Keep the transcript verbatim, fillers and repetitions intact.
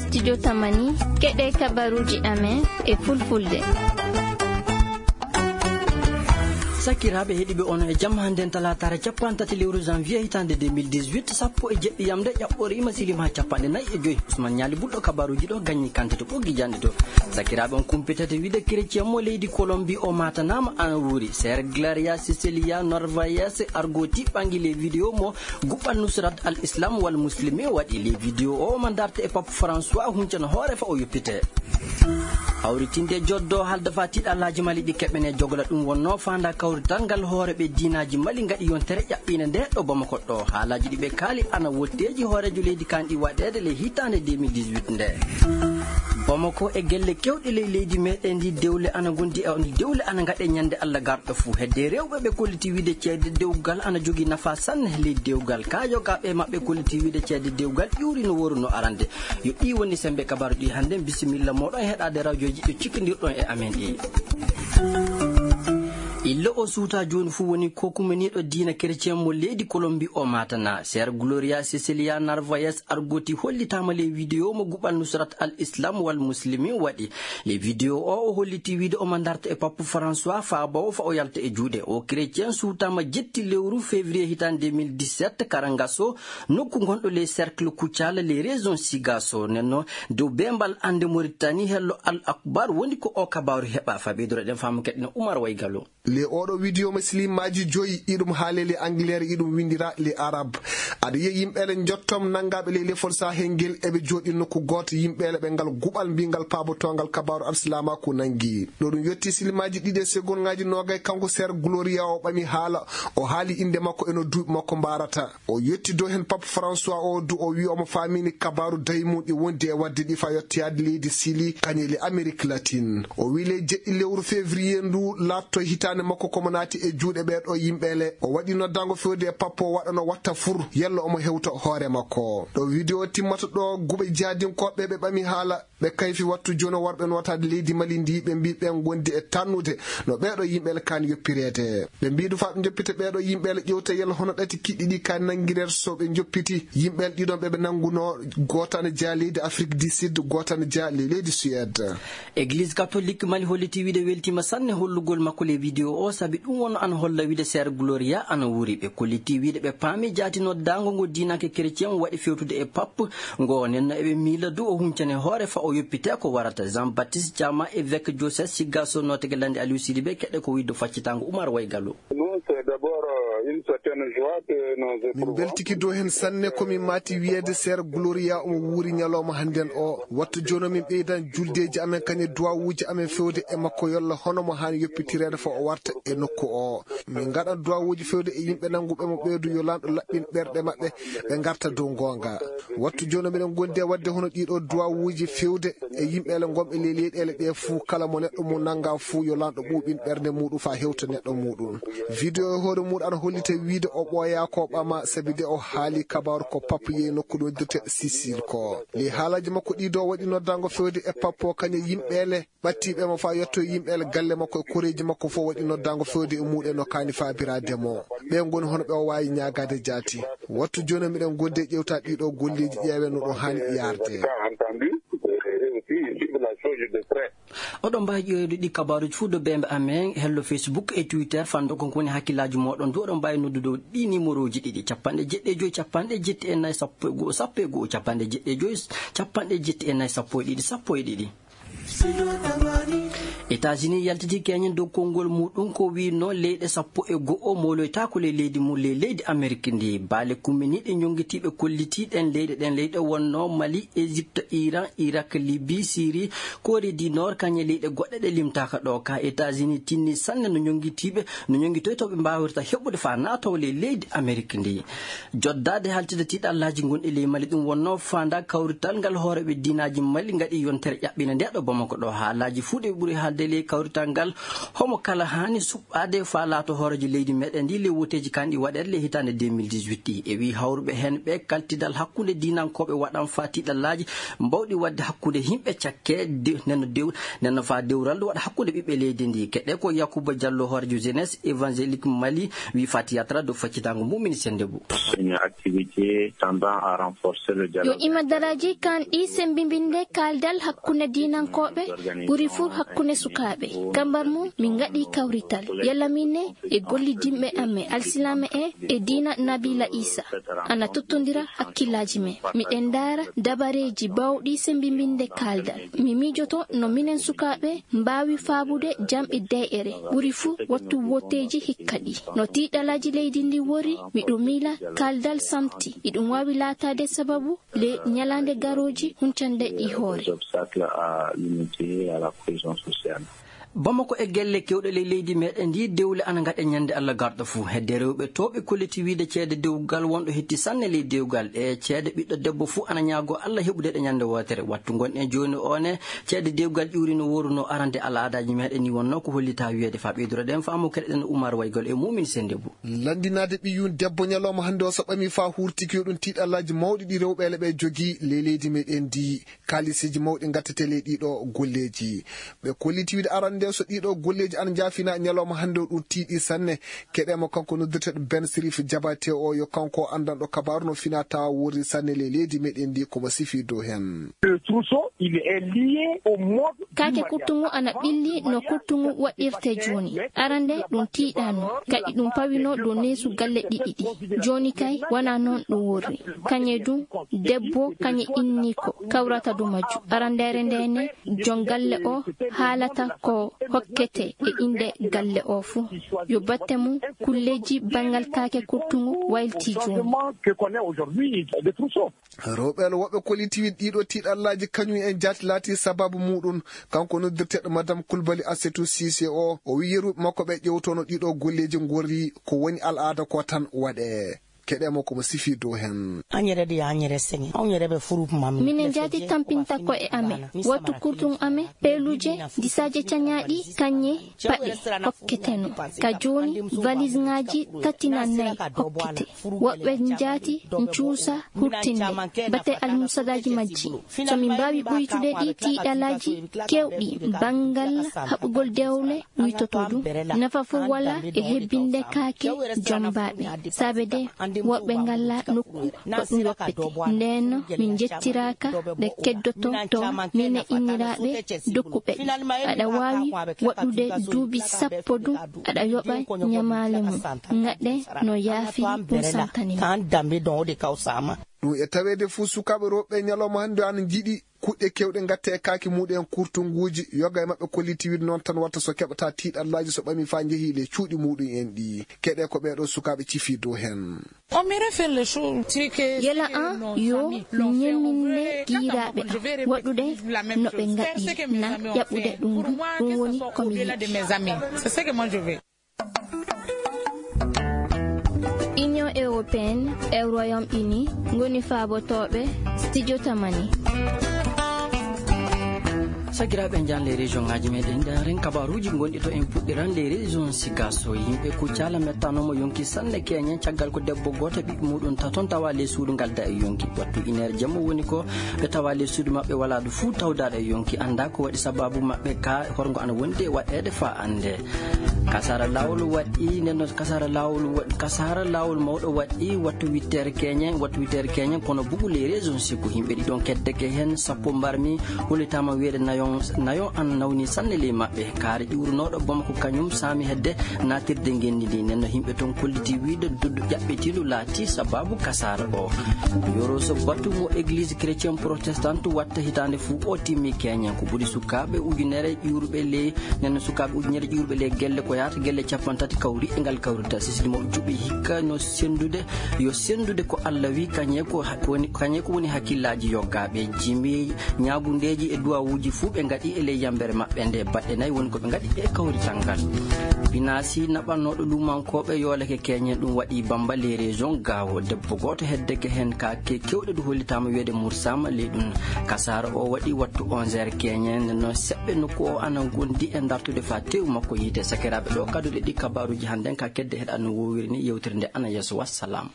Studio Tamani, keɗe kabaruuji amen e fulfulde. Sakiraaɓe heɗiiɓe, on e jam. Hannden talaataare cappanɗe tati lewru janvier hitaande deux mille dix-huit, sappo e jeɗɗi yamde ƴaɓɓoriima, siliima haa cappanɗe nayi e joy. Usman Ñaali Bulɗo kabaruuji ɗo, Gañi Kante to ɓoggi janɗe to. Sakiraaɓe, on kumpitete wiide kerecen mo leydi Kolombi o maatanaama ana wuuri. Ser Gloria Cecilia Narvaez argoti ɓangi le video mo Guɓal Nusrat al Islam wal Muslimin waɗi. Le video o omo darte e Pape François, huncana hoore fa o yoppite. Hawritinde joddo halda fa tiiɗalaaji Mali ɗi keɓene jogola, ɗum wonno faanda kawrital ngal hooreɓe diinaaji Mali ngaɗi yontere ƴaɓɓiinde nde ɗo Bamako ɗo. Haalaaji ɗi ɓe kaali ana wotteeji hooreejo leydi kanɗi waɗeede le hitaande deux mille dix-huit nde. Bamako e gelle kewɗe ley leydi meɗen ndi dewle ana gondi e on dewle ana ngaɗe ñande Allah garɗo fuu. Hedde rewɓe ɓe kolliti wiide ceede dewgal ana jogii nafa sanne ley dewgal. Ka yogaaɓe maɓɓe kolliti wiide ceede dewgal ƴuuri no woru no arande. Yo ɗi woni sembe kabaru ɗi hannde. Bisimilla moɗon heɗaade rawjoji ɗo cikkindirɗon e amen ɗi. Illa o suuta jooni fuu woni ko kumaniiɗo diina kerecen mo leydi Kolombi o maatana. Ser Gloria Cecilia Narvaez argoti hollitaama ley video mo Guɓal Nusrat al Islam wal Muslimin waɗi. Ley video o, o holliti wiide omo darta e Pape François faabawo fa o yalta e juuɗe. O kerecen suutaama jetti lewru février hitaande deux mille dix-sept Karangaso, nokku gonɗo ley cercle Kucala ley région Sigaso. Nenno dow bembal annde Mauritanie hello Al Akbar woni ko o kabaru heɓa. Fa ɓeydoro ɗen faamu keɗɗen Umar Waygalo. Le oɗo video mo silimaaji joyi, iɗum haalele Angleterre, iɗum windira le Arab. Aɗa yiya yimɓeele njottom nanngaɓe ley lefol Sahel ngel, eɓe jooɗi nokku gooto, yimɓeele ɓe ngal guɓal mbingal paabotongal kabaru alsilaamaaku nanngi. Ɗo ɗum yotti silimaaji ɗiɗi e segonngaji noogay, kanko Ser Gloria o ɓami haala, o haali innde makko e no duuɓi makko mbarata. O yetti dow heen Pape François o du, o wi'i omo faamini kabaaru daymum ɗi wondi e waɗde ɗi fa yettoyaade leydi Sili, kañum e Amerique latine. O wi'i ley jeɗɗi lewru février ndu laatto hitaande makko komo naati e juuɗe ɓee ɗoo yimɓe le. O waɗi noddaango fewde e Pape o waɗano watta fur, yalla omo hewta hoore makko. Ɗo video timmata ɗo, guɓe jihadinkooɓe ɓe ɓami haala, ɓe kayfi wattu jooni o warɓe nootaade leydi Mali ndi, ɓe mbii ɓe ngondi e tannude no ɓee ɗoo yimɓe le kaani yoppireede. Ɓe mbii ɗum faa ɓe njoppita ɓee ɗoo yimɓe le, ƴewta yalla hono ɗati kiɗɗi ɗi kaani nanngireede so ɓe njoppiti yimɓe le ɗiɗon ɓe ɓe nanngunoo, gooto ana jeyaa leydi Afrique du Sud, gooto ana jeyaa le-, leydi Suède. Église catholique Mali holliti wiide weltiima sanne hollugol makko le video o, sabi ɗum wonno ana holla wiide Ser Gloria ana wuuri. Ɓe kolliti wiide ɓe paami jaati noddaango ngo diinanke chrétien waɗi fewtude e Pape ngo, nenno eɓe miila du o huncane hoore fa o yoppite ko warata. Jean Baptiste Thiama, évêque diocèse Sigasso, nootege lande Aliou Sidibé, keɗe ko wiide faccitaango Umar Waygalo. Nous, c'est d'abord, euh, une certaine joie que nous éprouvons. Min mbeltiki dow heen sanne, ko min maati wiyeede Ser Gloria omo wuuri ñalawma hannden o. Wattu jooni min ɓeydan juldeeji amen, kañum e duwawuuji amen fewde e makko, yolla hono mo haani yoppitireede fa o warta e nokku o. Min ngaɗan duwawuuji fewde e yimɓe nannguɓe mo ɓeedu, yo Laamɗo laɓɓin ɓerɗe maɓɓe, ɓe ngarta dow goonga. Wattu jooni miɗen ngondi e waɗde hono ɗiɗo duwawuuji fewde e yimɓeele ngonɓe ley leyɗeele ɗe fuu, kala mo neɗɗo mum nannga fuu, yo Laamɗo ɓuuɓin ɓernde muɗum faa hewta neɗɗo muɗum. Video e hoore muɗum ana hollita wiide o ɓooyaa ko ɓama, sabi de o haali kabaaru ko Pape yehi nokku ɗo dirte Sicile ko. Ley haalaaji makko ɗiɗo waɗi noddaango fewde e Pape o kañum e yimɓeele ɓattiiɓe mo faa yetto yimɓeele galle makko e koreeji makko fof waɗi noddaango fewde e muɗum no kaani faabiraade mo. Ɓe ngoni hono ɓe o waawi ñaagaade jaati. Wattu jooni miɗen ngondi e ƴewta ɗiɗo golleeji, ƴeewen no ɗum haani yaarde. Oɗon mbaawi ƴeewde ɗi kabaaruuji fuu dow beembe amen, hello Facebook e Twitter, fanndo ko woni hakkillaaji mooɗon du. Oɗon mbaawi noddude ɗi nimorooji ɗiɗi, capanɗe jeɗɗi e joy, capanɗe jetti e nayi, sappo e go'o, sappo e go'o, capanɗe jeɗɗi e joy, capanɗe jetti e nayi, sappo e ɗiɗi, sappo e ɗiɗi. États-Unis yaltiti keñen dow konngol muɗum ko wi'no leyɗe sappo e go'o moloytaako ley leydi mum, ley leydi Amerik ndi. Baale kumminiiɗe ñonngitiiɓe kollitiiɗen leyɗe ɗen, leyɗe wonno Mali, Égypte, Iran, Irak, Libye, Syrie, Corée du Nord, kañe leyɗe goɗɗe ɗe limtaaka ɗo. Ka États-Unis tinni sanne no ñonngitiiɓe, no ñonngitoytooɓe mbaawirta heɓude faa naatoo ley leydi Amerik ndi. Joddaade haltida tiiɗallaaji gonɗi ley Mali, ɗum wonno faanda kawrital ngal hooreeɓe diinaaji Mali ngaɗi yontere ƴaɓɓina nde ɗo Bamako ɗo. Haalaaji fuu ɗe ɓuri haalde Nde ley kawrital ngal, homo kala haani suɓɓaade faa laato hooreejo leydi meɗen ndi ley woteeji kanɗi waɗeede ley hitaande deux mille dix-huit ɗi. E wii hawruɓe heen ɓe, kaltidal hakkunde diinankooɓe waɗan faa tiiɗallaaji mbawɗi waɗde hakkunde yimɓe cakke de-, nenno dew-, nenno faa dewral waɗa hakkunde ɓiɓɓe leydi ndi. Keɗe ko Yakuba Diallo, hooreejo jeunesse évangélique Mali, wii faa théâtre dow faccitaango mum, ministre Ndebou. Une activité tendant à renforcer le dialogue. Yo imadaraaji kanɗi sembimbinde kaaldal hakkunde diinankooɓe, ɓuri fuu hakkunde sukaaɓe. Kambar mum, min ngaɗi kawrital. Yalla min ne e gollidinɓe amen, alsilaame en e diina Nabila Isa. Ana tottondira hakkillaaji men. Miɗen ndaara dabareeji baawɗi sembimbinde kaaldal. Mi miijoto no minen sukaaɓe mbaawi faabude jam e deeƴere, ɓuri fuu wattu woteeji hikka ɗi. No tiiɗalaaji leydi ndi wori, miɗo miila kaaldal samti. Iɗum waawi laataade sababu le ñalaande garooji huncande ɗi hoore. Obstacle à l'unité et à la cohésion sociale. Bamako e gelle kewɗe ley leydi meɗen ndi, dewle ana ngaɗe ñande Allah garɗo fuu. Hedde rewɓe to ɓe kolliti wiide ceede dewgal wonɗo hetti sanne ley dewgal. Ɗe ceede ɓiɗɗo debbo fuu ana ñaago Allah heɓude ɗe ñande wootere. Wattu ngonɗen jooni o ne, ceede dewgal ƴuuri no wooru no arande al'aadaaji meɗen ni wonno ko hollita wiyeede. Faa ɓeydoro ɗen faamu keɗen Umar Waygol e mumin sende bu. Lanndinaade ɓiyum debbo ñalawma hannde o so ɓami faa huurtiki yo ɗum tiiɗallaaji mawɗi ɗi rewɓe ele ɓe jogii ley leydi meɗen ndi. Kaalisiji mawɗi ngattetee ley ɗiɗo golleeji. Ɓe kolliti wiide arande so ɗiɗo golleeji ana njaafina ñalawma hannde o ɗum tiiɗi sanne. Keɗe mo kanko noddirteeɗo Ben Sirif Jabate o yo kanko anndanɗo kabaaru no fina tawa worri sanne ley leydi meɗen ndi ko mo sifi dow heen. Le trousseau, il est lié au mode. Kaake kurtungu ana ɓilli no kurtungu waɗirte jooni. Arande ɗum tiiɗaano, kadi ɗum pawino dow neesu galle ɗiɗi ɗi. Jooni kay, wonaa noon ɗum worri. Kañe ɗum, debbo, kañe inni ko kawrata dow majju. Arandeere nde ne, jon galle o haalata ko hokkete e innde galle o fuu. Yo batte mum kulleeji banngal kaake kurtungu waylti jooni. Rewɓe ele woɓɓe kolliti wiide ɗiɗo tiiɗallaaji kañum en jaati laati sababu muɗum. Kanko noddirteeɗo Madame Kulbali Assetou Cissé o, o wi yeru makko ɓe ƴewtono ɗiɗo golleeji ngorri ko woni al'aada ko tan waɗe. Keɗe mo ko mo sifi dow heen. Añere ɗi añere seŋe. Añere ɓe furup mam. Minen jaati tampinta ko e amen. Wattu kurtun amen, peeluje, disaaje cañaaɗi, kañe, paɗe, hokketeno. Ka jooni, valisŋaaji tati na nayi hokkete. Woɓɓe njaati ncuusa hurtinde, bate almusadaaji majji. So min mbaawi ɓuytude ɗi tiiɗalaaji keewɗi, banngal haɓugol dewle uytoto ɗum. Nafa fof wala e hebbinde kaake jombaaɓe. Saabe de, woɓɓe ngalla nokku ko ɗum yoppete. Ndeen min njettiraaka ɓe keddoto to mine inniraaɓe dokkuɓe ɗi. Aɗa waawi waɗude duuɓi sappo ɗum, aɗa yoɓa ñamaale mum. Ngaɗe no yaafi ɗum santani ma. Kan dambe ɗon o de kaw sama. Ɗum e taweede fuu sukaaɓe rewɓe ñalawma hannde ana njiɗi kuɗɗe keewɗe ngatte e kaake muɗum en kurtunguuji. Yoga e maɓɓe kolliti wiide noon tan watta so keɓata tiiɗallaaji so ɓami faa njehi le cuuɗi muɗum en ɗi. Keɗe ko ɓeeɗo sukaaɓe cifi dow heen. Yela an yo ñemminde giiraaɓe am waɗude no ɓe ngaɗiri na ƴaɓɓude ɗum ndu. Ɗum woni ko mi yiɗi. Union européenne e Royaume Uni ngoni faabotooɓe studio Tamani. Sakiraaɓe, njaan les région ŋaaji meɗen, ndaaren kabaaruuji gonɗi to. En puɗɗiran les régions siga so yimɓe Kuccala mettanooma yonki sanne keñen caggal ko debbo gooto ɓiɓɓe muɗum taton tawa les suudu ngal da e yonki. Wattu ineer jamma woni ko ɓe tawa les suudu maɓɓe wala ɗo fuu tawdaɗo e yonki. Annda ko waɗi sababu maɓɓe ka horngo ana wondi e waɗeede faa annde. Kasara laawol waɗi, nden noon kasara laawol wa-, kasara laawol mawɗo waɗi wattu wittere keñen, wattu wittere keñen, kono bugu les régions siku yimɓe ɗiɗon keddeke heen, sappo mbarmi, hollitaama wiyeede nayon, nayon an nawni sanne ley maɓɓe. Kaari ƴuurnooɗo Bamako kañum saami hedde naatirde ngenndi ndi. Nden no yimɓe toon kolliti wiide duddu ƴaɓɓitiindu laati sababu kasara o. Yoro so batu mo église chrétien protestante watta hitaande fuu o timmi keñen. Ko ɓuri sukaaɓe ujunere ƴuurɓe ley Nden no sukaaɓe ujunere ƴuurɓe ley gelle ko yaata gelle cappanɗe tati kawri e ngal kawrita. Sisidi mo juɓi hikka no senndude, yo senndude ko Allah wi, kañe ko ha-, ko woni, kañe ko woni hakkillaaji yoggaaɓe. Jimi ñaagundeeji e duwawuuji fuu ɓe ngaɗi e ley yambere maɓɓe nde baɗɗe nayi woni ko ɓe ngaɗi e kawrital ngal. Binaasi naɓannooɗo luumankooɓe yoolake keñen ɗum waɗi Bamba les régions gaawo. Debbo gooto heddeke heen ka ke kewɗe du hollitaama wiyeede Mursama ley ɗum. Kasaara o waɗi wattu onze heures keñen no seɓɓe nokku o ana ngondi e dartude fa tewu makko yiite. Sakiraaɓe, ɗo kadduɗe ɗi kabaaruuji hannden ka kedde heɗa no wowiri ni yewtere nde ana yeeso. Wassalam.